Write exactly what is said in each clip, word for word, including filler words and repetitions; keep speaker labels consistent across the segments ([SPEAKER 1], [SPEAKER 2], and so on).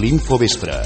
[SPEAKER 1] l'Infovespre.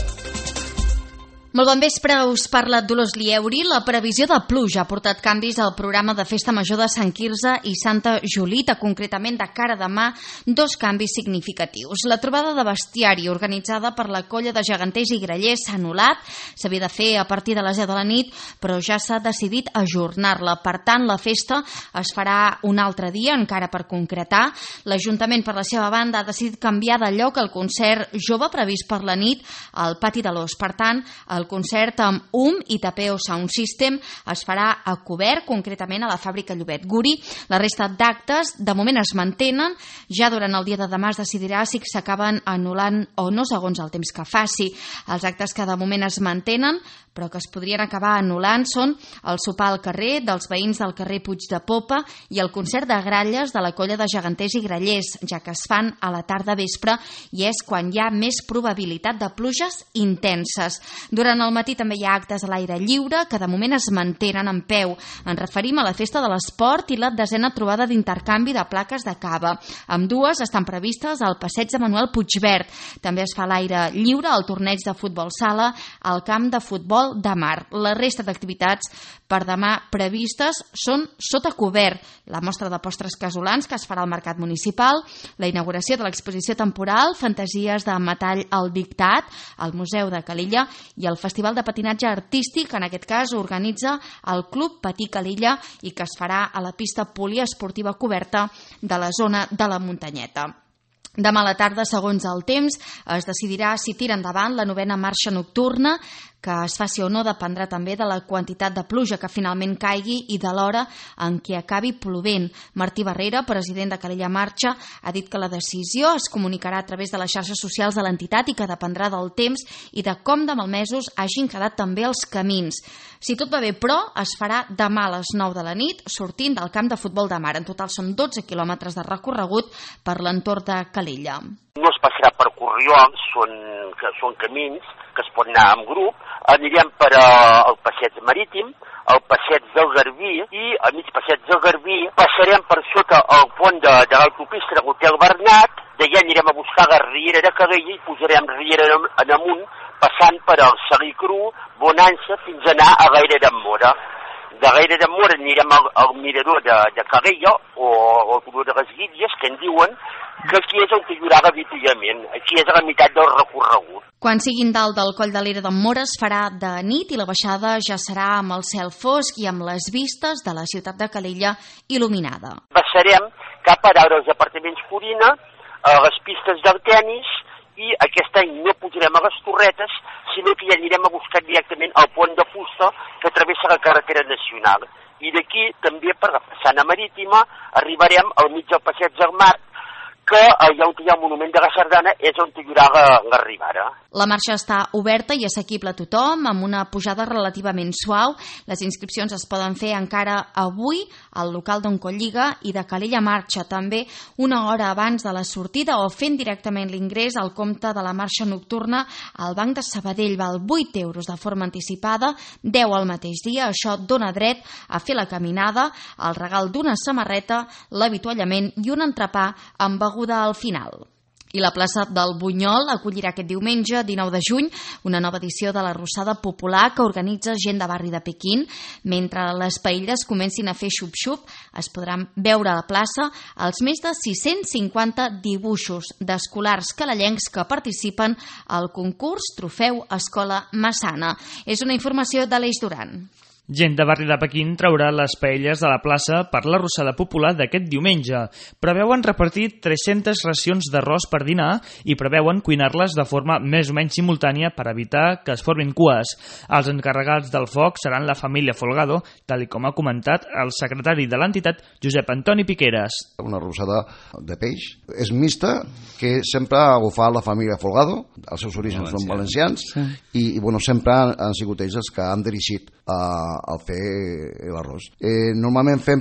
[SPEAKER 2] Molt bon vespre, us parla Dolors Lieuri. La previsió de pluja ha portat canvis al programa de Festa Major de Sant Quirze i Santa Julita, concretament de cara a demà, dos canvis significatius. La trobada de bestiari organitzada per la colla de geganters i grallers s'ha anul·lat, s'havia de fer a partir de les deu de la nit, però ja s'ha decidit ajornar-la. Per tant, la festa es farà un altre dia, encara per concretar. L'Ajuntament, per la seva banda, ha decidit canviar de lloc el concert jove previst per la nit al Pati de l'Os. Per tant, el El concert amb U M i Tapeo Sound System es farà a cobert, concretament a la fàbrica Llobet Guri. La resta d'actes de moment es mantenen. Ja durant el dia de demà es decidirà si s'acaben anul·lant o no segons el temps que faci. Els actes que de moment es mantenen però que es podrien acabar anul·lant són el sopar al carrer dels veïns del carrer Puig de Popa i el concert de gralles de la colla de geganters i grallers, ja que es fan a la tarda vespre i és quan hi ha més probabilitat de pluges intenses. Durant al matí també hi ha actes a l'aire lliure que de moment es mantenen en peu. Ens referim a la Festa de l'Esport i la desena trobada d'intercanvi de plaques de cava. Ambdues estan previstes al passeig de Manuel Puigverd. També es fa a l'aire lliure el torneig de futbol sala al camp de futbol de mar. La resta d'activitats per demà previstes són sota cobert. La mostra de postres casolans que es farà al Mercat Municipal, la inauguració de l'exposició temporal Fantasies de metall al dictat al Museu de Calella i el Festival de Patinatge Artístic, en aquest cas organitza el Club Patí Calella i que es farà a la pista poliesportiva coberta de la zona de la Muntanyeta. Demà a la tarda, segons el temps, es decidirà si tira endavant la novena marxa nocturna, que es faci o no dependrà també de la quantitat de pluja que finalment caigui i de l'hora en què acabi plovent. Martí Barrera, president de Calella Marxa, ha dit que la decisió es comunicarà a través de les xarxes socials de l'entitat i que dependrà del temps i de com de malmesos hagin quedat també els camins. Si tot va bé, però, es farà demà a les nou de la nit, sortint del camp de futbol de mar. En total són dotze quilòmetres de recorregut per l'entorn de Calella.
[SPEAKER 3] No es passarà per corriols, són, que són camins que es pot anar en grup. Anirem per al passeig marítim, al passeig del Garbí i al mig passeig del Garbí passarem per sota el pont de, de l'autopista de l'Hotel Bernat, d'allà anirem a buscar la Riera de Calella i pujarem Riera en amunt, passant per el Salí Cru, Bonança, fins a anar a Gaire d'en Mora. De Gaire d'en Mora anirem al, al mirador de, de Calella o al turó de les Guídies, que en diuen que aquí és on hi haurà l'avituallament, aquí és a la meitat del recorregut.
[SPEAKER 2] Quan siguin dalt del coll de l'Era d'en Mora es farà de nit i la baixada ja serà amb el cel fosc i amb les vistes de la ciutat de Calella il·luminada.
[SPEAKER 3] Baixarem cap a dalt dels apartaments Corina, a les pistes del tenis, i aquest any no pujarem a les Torretes, sinó que ja anirem a buscar directament el pont de fusta que travessa la carretera nacional. I d'aquí, també per la façana marítima, arribarem al mig del passeig del Mar, que allà on hi ha el monument de la Sardana és on hi haurà l'arribada.
[SPEAKER 2] La marxa està oberta i assequible a tothom, amb una pujada relativament suau. Les inscripcions es poden fer encara avui al local d'on Colliga i de Calella Marxa, també una hora abans de la sortida o fent directament l'ingrés al compte de la marxa nocturna al Banc de Sabadell. Val vuit euros de forma anticipada, deu al mateix dia. Això dona dret a fer la caminada, el regal d'una samarreta, l'avituallament i un entrepà amb beguda al final. I la plaça del Bunyol acollirà aquest diumenge, dinou de juny, una nova edició de la Rossada Popular que organitza gent de barri de Pequín. Mentre les paelles comencin a fer xup-xup, es podran veure a la plaça els més de sis-cents cinquanta dibuixos d'escolars calellencs que participen al concurs Trofeu Escola Massana. És una informació de l'Eix Duran.
[SPEAKER 4] Gent de barri de Pequín traurà les paelles de la plaça per la Rossada Popular d'aquest diumenge. Preveuen repartir tres-centes racions d'arròs per dinar i preveuen cuinar-les de forma més o menys simultània per evitar que es formin cues. Els encarregats del foc seran la família Folgado, tal com ha comentat el secretari de l'entitat, Josep Antoni Piqueras.
[SPEAKER 5] Una rossada de peix. És mixta, que sempre ha agafat la família Folgado, els seus orígens són valencians, sí. i, i bueno, sempre han, han sigut ells els que han dirigit a al fer l'arròs. Eh, normalment fem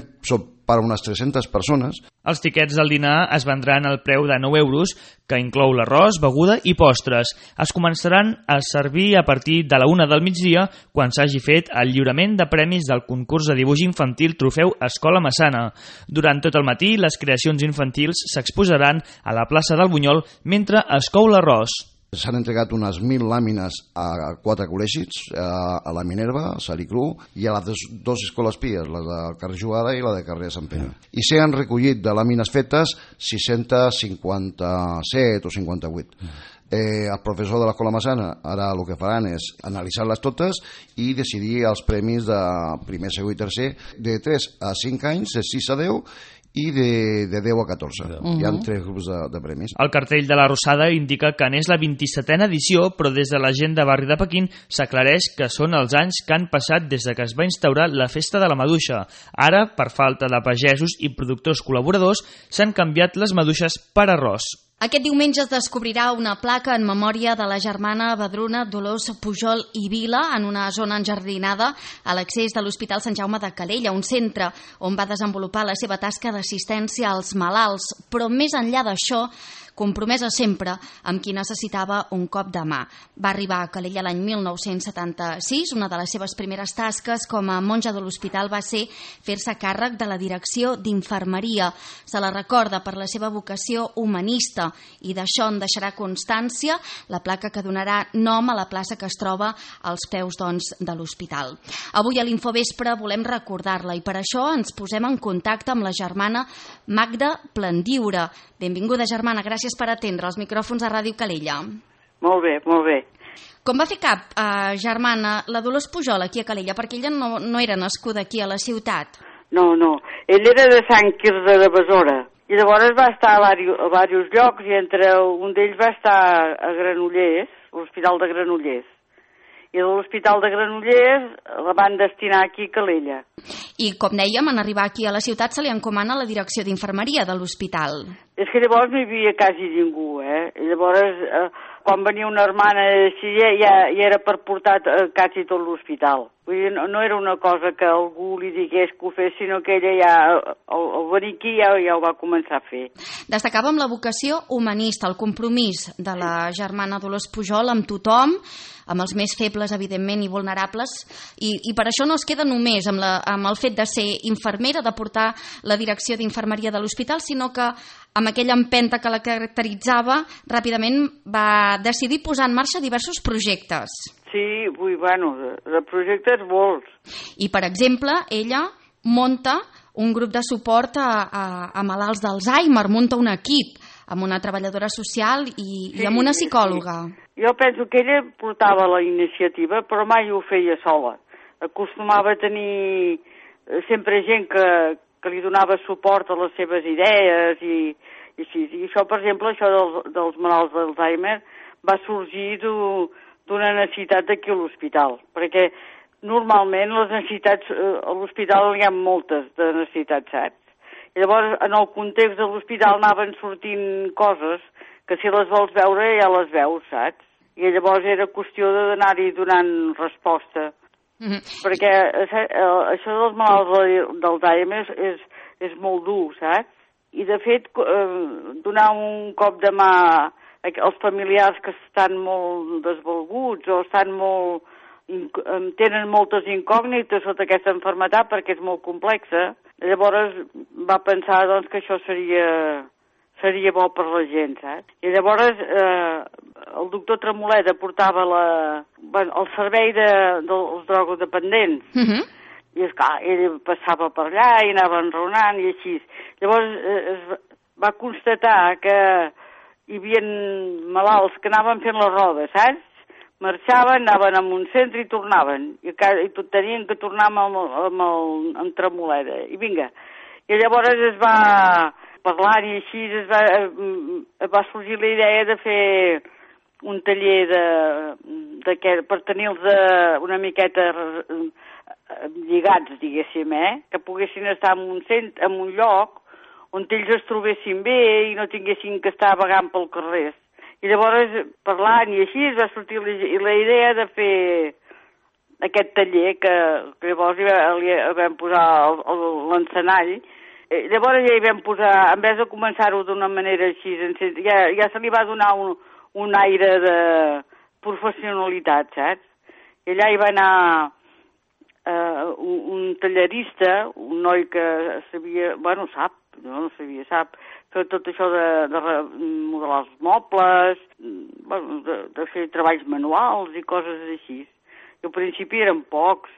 [SPEAKER 5] per unes tres-centes persones.
[SPEAKER 4] Els tiquets del dinar es vendran al preu de nou euros, que inclou l'arròs, beguda i postres. Es començaran a servir a partir de la una del migdia, quan s'hagi fet el lliurament de premis del concurs de dibuix infantil Trofeu Escola Massana. Durant tot el matí, les creacions infantils s'exposaran a la plaça del Bunyol mentre es cou l'arròs.
[SPEAKER 5] S'han entregat unes mil làmines a quatre col·legis, a la Minerva, a Saricru, i a les dues escoles pies, la de carrer Jugada i la de carrer Sant Pere. I s'han recollit de làmines fetes sis-cents cinquanta-set o cinquanta-vuit. Eh, el professor de l'Escola Massana ara el que faran és analitzar-les totes i decidir els premis de primer, segon i tercer de tres a cinc anys, de sis a deu i de, de deu a catorze. Uh-huh. Hi ha tres grups de, de premis.
[SPEAKER 4] El cartell de la Rosada indica que n'és la vint-i-setena edició, però des de la gent de Barri de Pequín s'aclareix que són els anys que han passat des de que es va instaurar la Festa de la Maduixa. Ara, per falta de pagesos i productors col·laboradors, s'han canviat les maduixes per arròs.
[SPEAKER 2] Aquest diumenge es descobrirà una placa en memòria de la germana Badruna Dolors Pujol i Vila en una zona enjardinada a l'accés de l'Hospital Sant Jaume de Calella, un centre on va desenvolupar la seva tasca d'assistència als malalts, però més enllà d'això, compromesa sempre amb qui necessitava un cop de mà. Va arribar a Calella l'any mil nou-cents setanta-sis. Una de les seves primeres tasques com a monja de l'hospital va ser fer-se càrrec de la direcció d'infermeria. Se la recorda per la seva vocació humanista i d'això en deixarà constància la placa que donarà nom a la plaça que es troba als peus doncs, de l'hospital. Avui a l'Infovespre volem recordar-la i per això ens posem en contacte amb la germana Magda Plandiura. Benvinguda, germana, gràcies per atendre els micròfons a Ràdio Calella.
[SPEAKER 1] Molt bé, molt bé.
[SPEAKER 2] Com va fer cap, eh, germana, la Dolors Pujol aquí a Calella? Perquè ella no, no era nascuda aquí a la ciutat.
[SPEAKER 1] No, no. Ell era de Sant Quirze de Besora. I llavors va estar a diversos llocs i entre un d'ells va estar a Granollers, l'Hospital de Granollers. I de l'Hospital de Granollers la van destinar aquí a Calella.
[SPEAKER 2] I, com dèiem, en arribar aquí a la ciutat se li encomana la direcció d'infermeria de l'hospital.
[SPEAKER 1] És que llavors no hi havia quasi ningú, eh? I llavors, eh, quan venia una hermana així, ja, ja era per portar eh, quasi tot l'hospital. Vull dir, no, no era una cosa que algú li digués que ho fes, sinó que ella ja, el, el venir aquí ja, ja ho va començar a fer.
[SPEAKER 2] Destacàvem la vocació humanista, el compromís de la germana Dolors Pujol amb tothom, amb els més febles, evidentment, i vulnerables, i, i per això no es queda només amb, la, amb el fet de ser infermera, de portar la direcció d'infermeria de l'hospital, sinó que amb aquella empenta que la caracteritzava, ràpidament va decidir posar en marxa diversos projectes.
[SPEAKER 1] Sí, vull, bueno, de, de projectes molts.
[SPEAKER 2] I, per exemple, ella munta un grup de suport a, a, a malalts d'Alzheimer, munta un equip amb una treballadora social i, sí, i amb una psicòloga.
[SPEAKER 1] Sí. Jo penso que ella portava la iniciativa, però mai ho feia sola. Acostumava a tenir sempre gent que, que li donava suport a les seves idees i, i així. I això, per exemple, això dels, dels malalts d'Alzheimer va sorgir d'una necessitat d'aquí a l'hospital, perquè normalment les necessitats, a l'hospital hi ha moltes de necessitats, saps? I llavors, en el context de l'hospital anaven sortint coses que si les vols veure ja les veus, saps? I llavors era qüestió d'anar-hi donant resposta. Mm-hmm. Perquè això dels malalts d'Alzheimer és, és, és molt dur, saps? I de fet, donar un cop de mà als familiars que estan molt desvalguts o estan molt, tenen moltes incògnites sota aquesta malaltia perquè és molt complexa. Llavors va pensar doncs, que això seria, seria bo per la gent, saps? I llavors eh, el doctor Tremoleda portava la, bueno, el servei de, dels drogodependents. Mm-hmm. I esclar, ell passava per allà i anava enraonant i així. Llavors eh, es va constatar que hi havia malalts que anaven fent la roda, saps? Marxaven, anaven a un centre i tornaven. I, i tot tenien que tornar amb el, amb el amb Tremoleda. I vinga. I llavors es va parlar i així es va, es va sorgir la idea de fer un taller de, de que, per tenir-los una miqueta lligats, diguéssim, eh? Que poguessin estar en un, cent, en un lloc on ells es trobessin bé i no tinguessin que estar vagant pel carrer. I llavors, parlant i així, es va sortir la, la idea de fer aquest taller, que, que llavors hi, hi vam posar l'encenall. Llavors ja hi vam posar, en vez de començar-ho d'una manera així, ja, ja se li va donar un, un aire de professionalitat, saps? I allà hi va anar uh, un, un tallerista, un noi que sabia, bueno, sap, no, no sabia, sap, fer tot això de, de modelar els mobles, bueno, de, de fer treballs manuals i coses així. I al principi eren pocs,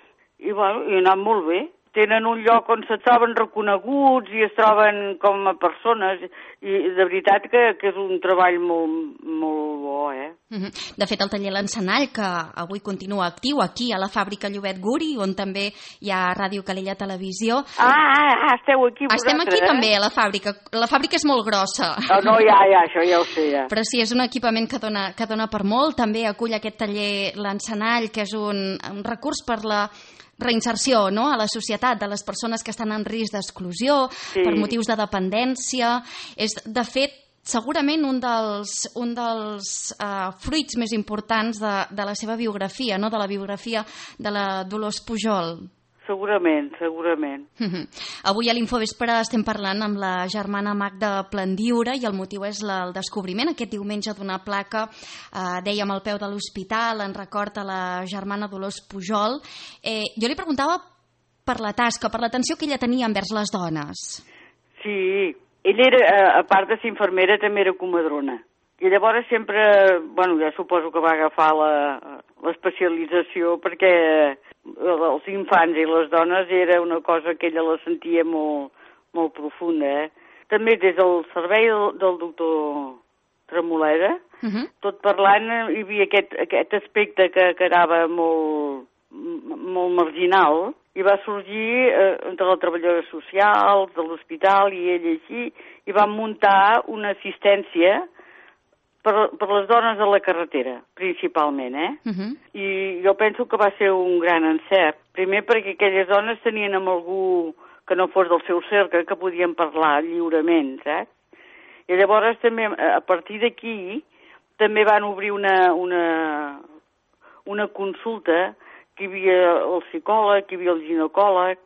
[SPEAKER 1] i bueno, i ha anat molt bé. Tenen un lloc on se troben reconeguts i es troben com a persones, i de veritat que, que és un treball molt, molt bo, eh?
[SPEAKER 2] De fet, el taller L'Encenall, que avui continua actiu aquí a la fàbrica Llobet Guri, on també hi ha Ràdio Calella Televisió.
[SPEAKER 1] Ah, ah, ah esteu aquí vosaltres,
[SPEAKER 2] Estem aquí
[SPEAKER 1] eh?
[SPEAKER 2] també, a la fàbrica. La fàbrica és molt grossa.
[SPEAKER 1] Oh, no, ja, ja, això ja ho sé, ja.
[SPEAKER 2] Però sí, és un equipament que dona, que dona per molt. També acull aquest taller L'Encenall, que és un, un recurs per la reinserció, no?, a la societat de les persones que estan en risc d'exclusió, sí, per motius de dependència. És, de fet, segurament un dels, un dels uh, fruits més importants de, de la seva biografia, no?, de la biografia de la Dolors Pujol.
[SPEAKER 1] Segurament, segurament.
[SPEAKER 2] Avui a l'Infovespre estem parlant amb la germana Magda Plandiura i el motiu és la, el descobriment aquest diumenge d'una placa, eh, dèiem, al peu de l'hospital, en record a la germana Dolors Pujol. Eh, jo li preguntava per la tasca, per l'atenció que ella tenia envers les dones.
[SPEAKER 1] Sí, ella, era, a part de ser infermera, també era comadrona. I llavors sempre, bueno, ja suposo que va agafar l'especialització perquè els infants i les dones era una cosa que ella la sentia molt, molt profunda, eh? També des del servei del, del doctor Tremoleda, uh-huh, tot parlant, hi havia aquest, aquest aspecte que quedava molt, molt marginal, i va sorgir eh, entre les treballadores socials de l'hospital i ell així, i van muntar una assistència per, per les dones de la carretera, principalment, eh? Uh-huh. I jo penso que va ser un gran encert. Primer perquè aquelles dones tenien amb algú que no fos del seu cercle, que podien parlar lliurement, saps? I llavors també, a partir d'aquí, també van obrir una, una, una consulta, que hi havia el psicòleg, que hi havia el ginecòleg,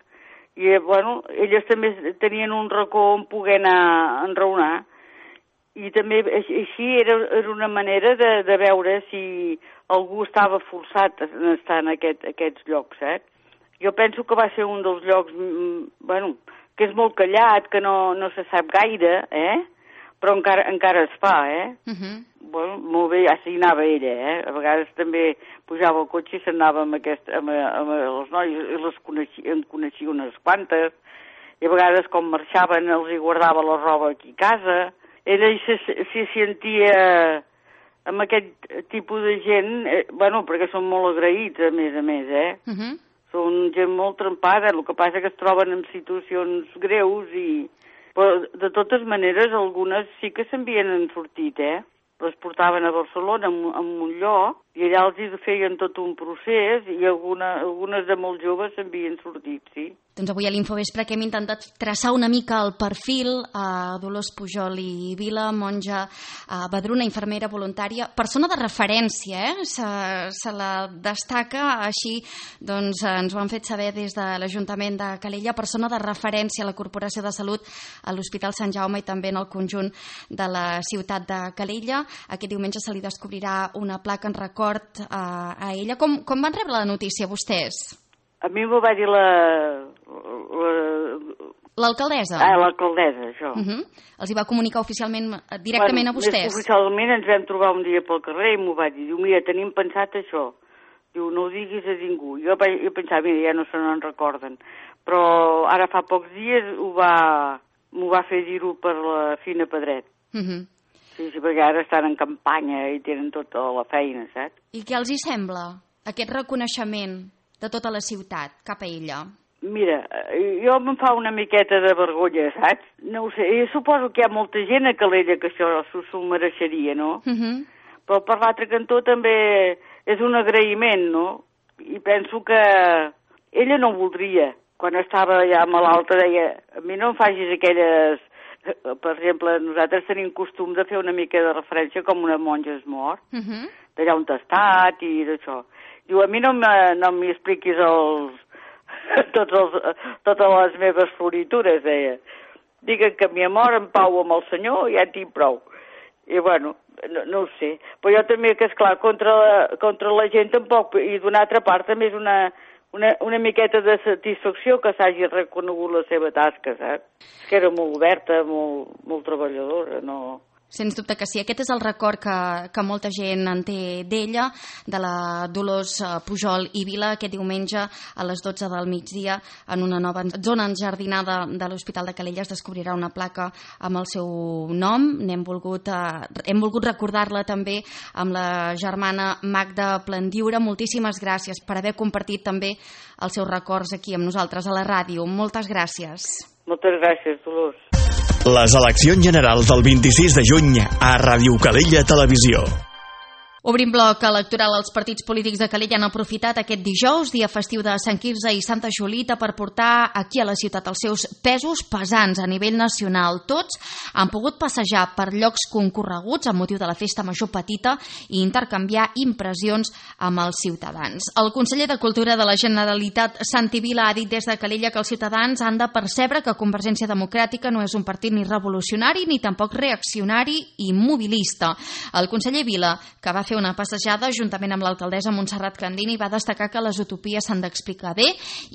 [SPEAKER 1] i, bueno, elles també tenien un racó on poder anar a enraonar, i també així era, era una manera de, de veure si algú estava forçat a estar en aquest, aquests llocs, eh? Jo penso que va ser un dels llocs, bueno, que és molt callat, que no, no se sap gaire, eh? Però encara, encara es fa, eh? Uh-huh. Bueno, molt bé, ja s'hi anava ella, eh? A vegades també pujava al cotxe i s'anava amb, aquest, amb, amb els nois, i les coneixia, en coneixia unes quantes, i a vegades com marxaven els hi guardava la roba aquí a casa. Ella s'hi sentia amb aquest tipus de gent, eh, bueno, perquè són molt agraïts, a més a més, eh? Uh-huh. Són gent molt trempada, el que passa que es troben en situacions greus i... Però, de totes maneres, algunes sí que s'havien sortit, eh? Les portaven a Barcelona, en, en un lloc, i allà els hi feien tot un procés, i alguna, algunes de molt joves s'havien sortit, sí.
[SPEAKER 2] Doncs avui a l'Infovespre que hem intentat traçar una mica el perfil a Dolors Pujol i Vila, monja a Badruna, infermera voluntària, persona de referència, eh? Se, se la destaca així, doncs ens ho han fet saber des de l'Ajuntament de Calella, persona de referència a la Corporació de Salut a l'Hospital Sant Jaume i també en el conjunt de la ciutat de Calella. Aquest diumenge se li descobrirà una placa en record a, a ella. Com, com van rebre la notícia vostès?
[SPEAKER 1] A mi m'ho va dir la...
[SPEAKER 2] L'alcaldessa?
[SPEAKER 1] Ah, l'alcaldessa, això.
[SPEAKER 2] Uh-huh. Els hi va comunicar oficialment, directament
[SPEAKER 1] bueno,
[SPEAKER 2] a vostès?
[SPEAKER 1] Oficialment ens vam trobar un dia pel carrer i m'ho va dir. Diu, mira, tenim pensat això. Diu, no ho diguis a ningú. Jo, jo pensava, mira, ja no se n'en recorden. Però ara fa pocs dies ho va, m'ho va fer dir-ho per la Fina Pedret. Uh-huh. Sí, sí, perquè ara estan en campanya i tenen tota la feina, saps?
[SPEAKER 2] I què els hi sembla, aquest reconeixement de tota la ciutat cap a ella?
[SPEAKER 1] Mira, jo me'n fa una miqueta de vergonya, saps? No ho sé, jo suposo que hi ha molta gent a Calella que això s'ho mereixeria, no? Uh-huh. Però per l'altre cantó també és un agraïment, no? I penso que ella no voldria. Quan estava ja malalta deia, a mi no em facis aquelles... Per exemple, nosaltres tenim costum de fer una mica de referència com una monja es mor, uh-huh, d'allà on t'ha estat i d'això. Diu, a mi no m'hi expliquis els, tots els, totes les meves floritures, deia. Digue'm que m'hi mor en pau amb el Senyor i ja en tinc prou. I bueno, no, no ho sé. Però jo també, que esclar, contra la, contra la gent tampoc, i d'una altra part també és una, una, una miqueta de satisfacció que s'hagi reconegut la seva tasca, saps? Que era molt oberta, molt, molt treballadora, no...
[SPEAKER 2] Sens dubte que sí. Aquest és el record que, que molta gent en té d'ella, de la Dolors Pujol i Vila, aquest diumenge a les dotze del migdia, en una nova zona enjardinada de l'Hospital de Calella es descobrirà una placa amb el seu nom. N'hem volgut, eh, hem volgut recordar-la també amb la germana Magda Plandiura. Moltíssimes gràcies per haver compartit també els seus records aquí amb nosaltres a la ràdio. Moltes gràcies.
[SPEAKER 1] Moltes gràcies, Dolors.
[SPEAKER 6] Les eleccions generals del vint-i-sis de juny a Ràdio Calella Televisió.
[SPEAKER 2] Obrim bloc electoral. Els partits polítics de Calella han aprofitat aquest dijous, dia festiu de Sant Quirze i Santa Julita, per portar aquí a la ciutat els seus pesos pesants a nivell nacional. Tots han pogut passejar per llocs concorreguts amb motiu de la festa major petita i intercanviar impressions amb els ciutadans. El conseller de Cultura de la Generalitat, Santi Vila, ha dit des de Calella que els ciutadans han de percebre que Convergència Democràtica no és un partit ni revolucionari ni tampoc reaccionari i mobilista. El conseller Vila, que va fer una passejada juntament amb l'alcaldessa Montserrat Candini, va destacar que les utopies s'han d'explicar bé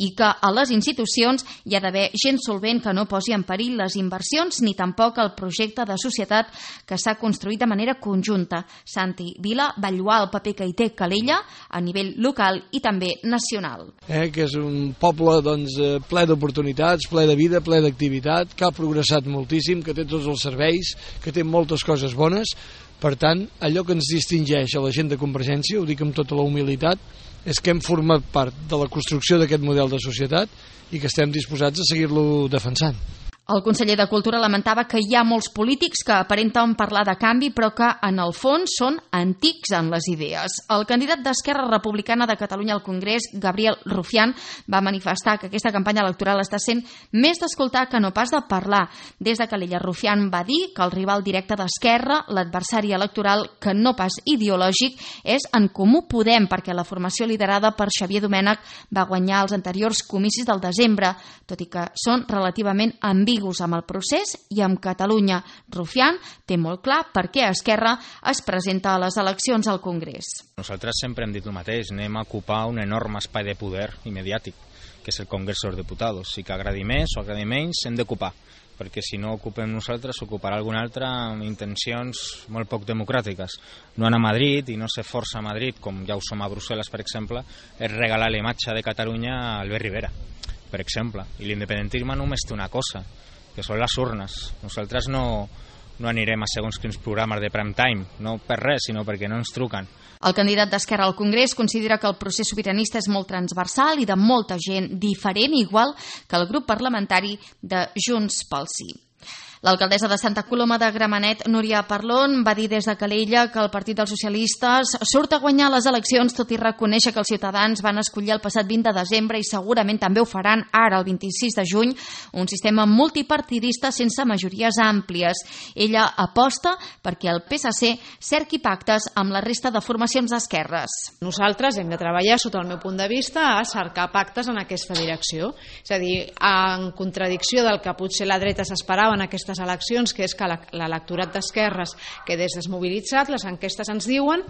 [SPEAKER 2] i que a les institucions hi ha d'haver gent solvent que no posi en perill les inversions ni tampoc el projecte de societat que s'ha construït de manera conjunta. Santi Vila va lloar el paper que hi té Calella a nivell local i també nacional.
[SPEAKER 7] Eh, que és un poble doncs, ple d'oportunitats, ple de vida, ple d'activitat, que ha progressat moltíssim, que té tots els serveis, que té moltes coses bones. Per tant, allò que ens distingeix a la gent de Convergència, ho dic amb tota la humilitat, és que hem format part de la construcció d'aquest model de societat i que estem disposats a seguir-lo defensant.
[SPEAKER 2] El conseller de Cultura lamentava que hi ha molts polítics que aparenten parlar de canvi però que en el fons són antics en les idees. El candidat d'Esquerra Republicana de Catalunya al Congrés, Gabriel Rufián, va manifestar que aquesta campanya electoral està sent més d'escoltar que no pas de parlar. Des de Calella, Rufián va dir que el rival directe d'Esquerra, l'adversari electoral que no pas ideològic, és En Comú Podem, perquè la formació liderada per Xavier Domènech va guanyar els anteriors comicis del desembre, tot i que són relativament ambigus amb el procés i amb Catalunya. Rufián té molt clar per què Esquerra es presenta a les eleccions al Congrés.
[SPEAKER 8] Nosaltres sempre hem dit el mateix, anem a ocupar un enorme espai de poder i mediàtic, que és el Congrés dels Diputats. Si que agradi més o agradi menys, hem d'ocupar, perquè si no ocupem nosaltres, ocuparà algun altre amb intencions molt poc democràtiques. No anar a Madrid i no ser força a Madrid, com ja ho som a Brussel·les, per exemple, és regalar la imatge de Catalunya a Albert Rivera, per exemple. I l'independentisme només té una cosa, que són les urnes. Nosaltres no, no anirem a segons quins programes de prime time, no per res, sinó perquè no ens truquen.
[SPEAKER 2] El candidat d'Esquerra al Congrés considera que el procés sobiranista és molt transversal i de molta gent diferent, igual que el grup parlamentari de Junts pel Sí. L'alcaldessa de Santa Coloma de Gramenet, Núria Parlon, va dir des de Calella que el Partit dels Socialistes surt a guanyar les eleccions, tot i reconèixer que els ciutadans van escollir el passat vint de desembre i segurament també ho faran ara, el vint-i-sis de juny, un sistema multipartidista sense majories àmplies. Ella aposta perquè el P S C cerqui pactes amb la resta de formacions d'esquerres.
[SPEAKER 9] Nosaltres hem de treballar, sota el meu punt de vista, a cercar pactes en aquesta direcció. És a dir, en contradicció del que potser la dreta s'esperava en aquestes eleccions, que és que l'electorat d'esquerres quedés desmobilitzat, les enquestes ens diuen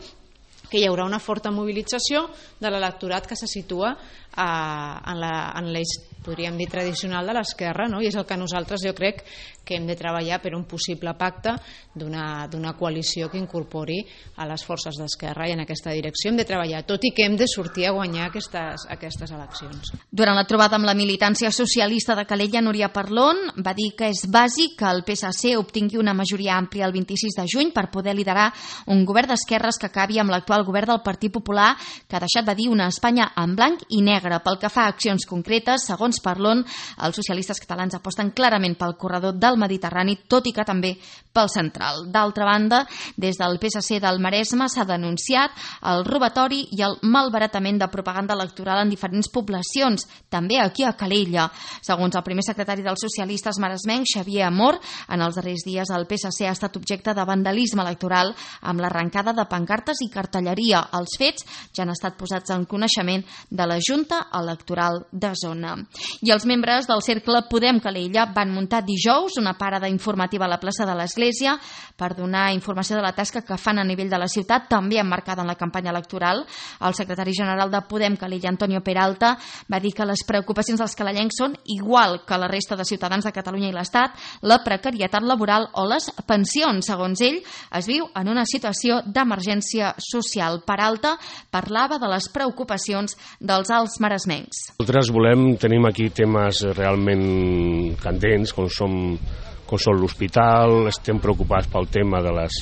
[SPEAKER 9] que hi haurà una forta mobilització de l'electorat que se situa eh, en l'eix, podríem dir, tradicional de l'esquerra, no? I és el que nosaltres, jo crec, que hem de treballar per un possible pacte d'una coalició que incorpori a les forces d'esquerra, i en aquesta direcció hem de treballar, tot i que hem de sortir a guanyar aquestes, aquestes eleccions.
[SPEAKER 2] Durant la trobada amb la militància socialista de Calella, Núria Parlon va dir que és bàsic que el P S C obtingui una majoria àmplia el vint-i-sis de juny per poder liderar un govern d'esquerres que acabi amb l'actual govern del Partit Popular, que ha deixat, va dir, una Espanya en blanc i negre. Pel que fa a accions concretes, segons Parlon, els socialistes catalans aposten clarament pel corredor del Mediterrani, tot i que també pel central. D'altra banda, des del P S C del Maresme s'ha denunciat el robatori i el malbaratament de propaganda electoral en diferents poblacions, també aquí a Calella. Segons el primer secretari dels socialistes maresmencs, Xavier Amor, en els darrers dies el P S C ha estat objecte de vandalisme electoral amb l'arrencada de pancartes i cartelleria. Els fets ja han estat posats en coneixement de la Junta Electoral de Zona. I els membres del Cercle Podem Calella van muntar dijous una parada informativa a la plaça de l'Església per donar informació de la tasca que fan a nivell de la ciutat, també emmarcada en la campanya electoral. El secretari general de Podem Calella, Antonio Peralta, va dir que les preocupacions dels calellencs són igual que la resta de ciutadans de Catalunya i l'Estat, la precarietat laboral o les pensions. Segons ell, es viu en una situació d'emergència social. Peralta parlava de les preocupacions dels alts maresmencs.
[SPEAKER 10] Nosaltres volem, tenim aquí temes realment candents, com som, com són l'hospital, estem preocupats pel tema de les,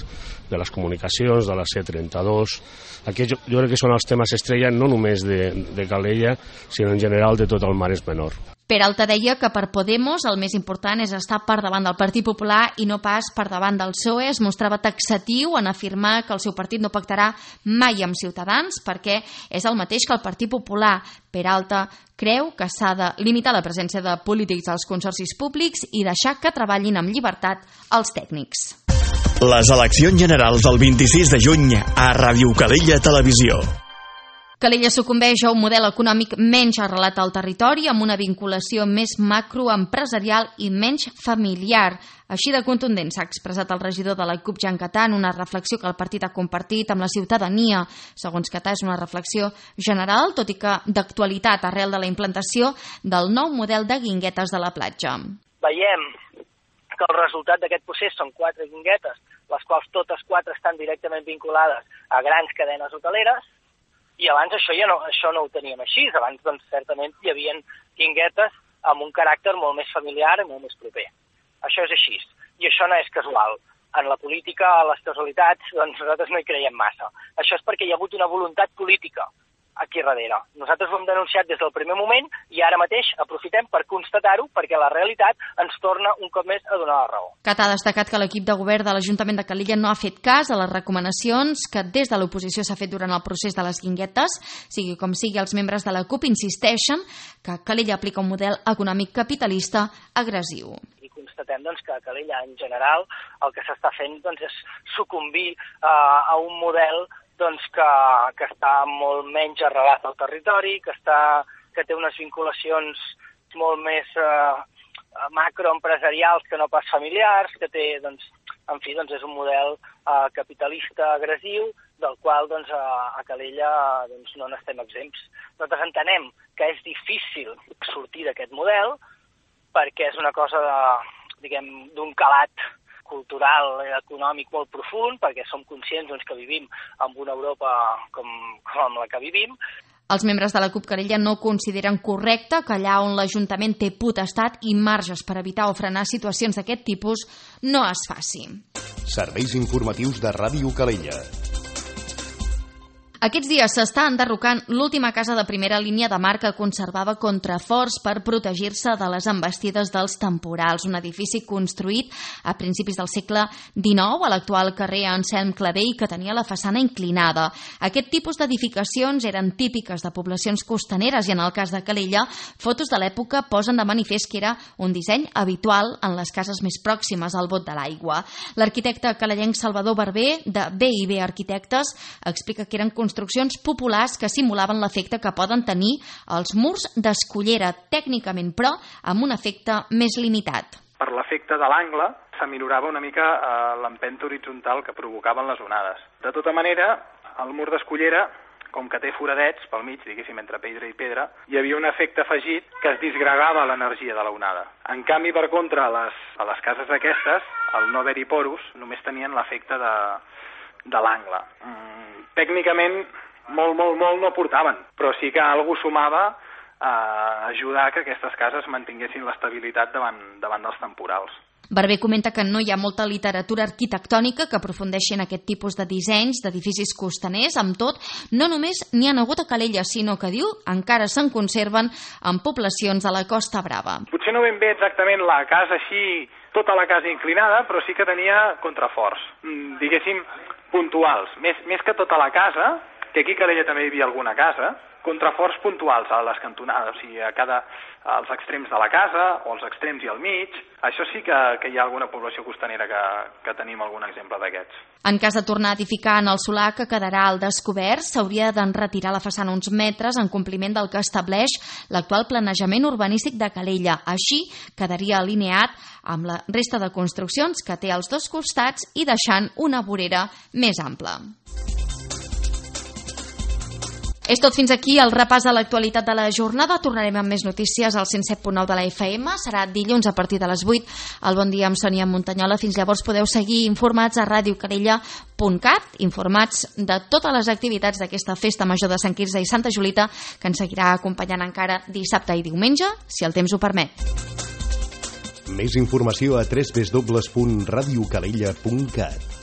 [SPEAKER 10] de les comunicacions, de la C trenta-dos. Aquí jo, jo crec que són els temes estrella no només de, de Calella, sinó en general de tot el Maresme Nord.
[SPEAKER 2] Peralta deia que per Podemos el més important és estar per davant del Partit Popular i no pas per davant del P S O E. Es mostrava taxatiu en afirmar que el seu partit no pactarà mai amb Ciutadans perquè és el mateix que el Partit Popular. Peralta creu que s'ha de limitar la presència de polítics als consorcis públics i deixar que treballin amb llibertat els tècnics.
[SPEAKER 6] Les eleccions generals del vint-i-sis de juny a Ràdio Calella Televisió.
[SPEAKER 2] Calella sucumbeix a un model econòmic menys arrelat al territori, amb una vinculació més macroempresarial i menys familiar. Així de contundent s'ha expressat el regidor de la C U P, Jan Catà, en una reflexió que el partit ha compartit amb la ciutadania. Segons Catà, és una reflexió general, tot i que d'actualitat arrel de la implantació del nou model de guinguetes de la platja.
[SPEAKER 11] Veiem que el resultat d'aquest procés són quatre guinguetes, les quals totes quatre estan directament vinculades a grans cadenes hoteleres, i abans això ja no, això no ho teníem així. Abans, doncs, certament hi havia guinguetes amb un caràcter molt més familiar i molt més proper. Això és així. I això no és casual. En la política, a les casualitats, doncs nosaltres no hi creiem massa. Això és perquè hi ha hagut una voluntat política aquí darrere. Nosaltres ho hem denunciat des del primer moment i ara mateix aprofitem per constatar-ho perquè la realitat ens torna un cop més a donar la raó.
[SPEAKER 2] Catà ha destacat que l'equip de govern de l'Ajuntament de Calella no ha fet cas a les recomanacions que des de l'oposició s'ha fet durant el procés de les guinguetes. Sigui com sigui, els membres de la C U P insisteixen que Calella aplica un model econòmic capitalista agressiu.
[SPEAKER 11] I constatem doncs, que a Calella en general el que s'està fent doncs, és sucumbir uh, a un model doncs que, que està molt menys arrelat al territori, que, està, que té unes vinculacions molt més eh, macroempresarials que no pas familiars, que té, doncs, en fi, doncs és un model eh, capitalista agressiu, del qual doncs, a, a Calella doncs, no n'estem exempts. Nosaltres entenem que és difícil sortir d'aquest model perquè és una cosa de, diguem, d'un calat cultural i econòmic molt profund, perquè som conscients doncs, que vivim en una Europa com, com la que vivim.
[SPEAKER 2] Els membres de la C U P Calella no consideren correcte que allà on l'Ajuntament té potestat i marges per evitar o frenar situacions d'aquest tipus no es faci.
[SPEAKER 12] Serveis informatius de Ràdio Calella.
[SPEAKER 2] Aquests dies s'està enderrocant l'última casa de primera línia de mar que conservava contraforts per protegir-se de les envestides dels temporals. Un edifici construït a principis del segle dinou a l'actual carrer Anselm Clavell, que tenia la façana inclinada. Aquest tipus d'edificacions eren típiques de poblacions costaneres i en el cas de Calella, fotos de l'època posen de manifest que era un disseny habitual en les cases més pròximes al bot de l'aigua. L'arquitecte calellenc Salvador Barber, de B i B Arquitectes, explica que eren construccions construccions populars que simulaven l'efecte que poden tenir els murs d'escullera, tècnicament, però amb un efecte més limitat.
[SPEAKER 13] Per l'efecte de l'angle s'amilorava una mica eh, l'empenta horitzontal que provocaven les onades. De tota manera, el mur d'escullera, com que té foradets pel mig, diguéssim, entre pedra i pedra, hi havia un efecte afegit que es disgregava l'energia de la onada. En canvi, per contra, a les, a les cases aquestes, al no haver-hi porus, només tenien l'efecte de, de l'angle. Mm, tècnicament, molt, molt, molt no portaven, però sí que algú sumava a ajudar que aquestes cases mantinguessin l'estabilitat davant, davant dels temporals.
[SPEAKER 2] Barber comenta que no hi ha molta literatura arquitectònica que aprofundeixi en aquest tipus de dissenys d'edificis costaners. Amb tot, no només n'hi ha hagut a Calella, sinó que, diu, encara se'n conserven en poblacions a la Costa Brava.
[SPEAKER 13] Potser no ben bé exactament la casa així, tota la casa inclinada, però sí que tenia contraforts, diguéssim, puntuals. Més, més que tota la casa, que aquí a Calella també hi havia alguna casa, contraforts puntuals a les cantonades, o sigui, a cada, als extrems de la casa o als extrems i al mig. Això sí que, que hi ha alguna població costanera que, que tenim algun exemple d'aquests.
[SPEAKER 2] En cas de tornar a edificar en el solar que quedarà al descobert, s'hauria d'enretirar la façana uns metres en compliment del que estableix l'actual planejament urbanístic de Calella. Així quedaria alineat amb la resta de construccions que té als dos costats i deixant una vorera més ampla. És tot fins aquí el repàs de l'actualitat de la jornada. Tornarem amb més notícies al cent set punt nou de la F M. Serà dilluns a partir de les vuit. El Bon Dia amb Sònia Muntanyola. Fins llavors podeu seguir informats a radio calella punt cat, informats de totes les activitats d'aquesta festa major de Sant Quirze i Santa Julita, que ens seguirà acompanyant encara dissabte i diumenge, si el temps ho permet.
[SPEAKER 12] Més informació a w w w punt radio calella punt cat.